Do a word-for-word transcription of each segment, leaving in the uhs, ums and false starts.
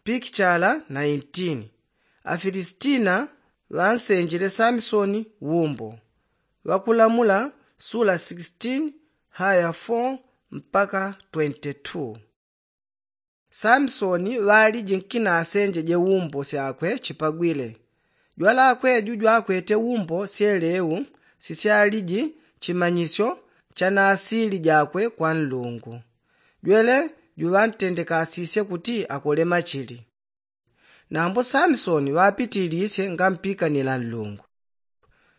Pikichala nineteen. Afilistina ŵansenjile samisoni wumbo. Ŵakulamula sula sixteen, haya four mpaka twenty-two. Samisoni ŵaliji nkina asenjeje wumbo syakwe chipagwile. Jwalakwe ju jwakwete wumbo syeleu sisyaliji chimanyisyo cha nasili jakwe kwa nlungu. Jwele juŵantendekasisye kuti akole machili. Nambo samisoni ŵapitilisye ngampikanila nlungu.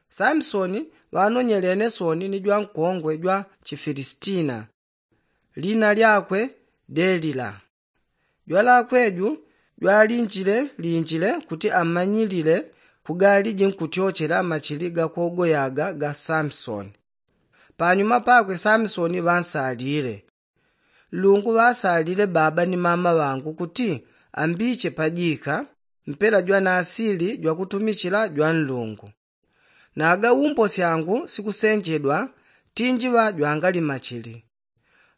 Samisoni ŵanonyelene soni ni jwankongwe jwa chifilistina, lina lyakwe delila. Jwalakwe ju jwalinjile linjile kuti amanyilile kugaliji nkutyochela machili gakogoyaga ga samisoni. Panyuma pakwe samisoni ŵansalile. Nlungu ŵasalile baba ni mama ŵangu kuti ambiche pajika mpela jwanasili jwakutumichila jwanlungu. Naga wumbo syangu sikusenjedwa tinjiŵa jwangali machili.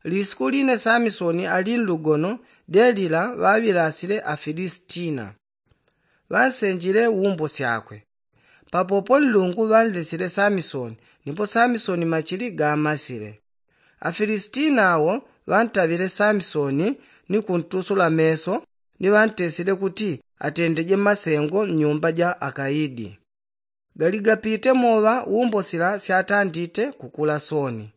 Lisiku line samisoni ali nlugono delila ŵaŵilasile afilistina. Ŵansenjile wumbo syakwe. Papopo nlungu ŵanlesile samisoni nipo samisoni machili gamasile. Afilistina awo ŵantaŵile samisoni ni kuntusula meso ni ŵantesile kuti atendeje masengo mnyumba ja akaidi. Galigapite moŵa wumbo sila syatandite kukula soni.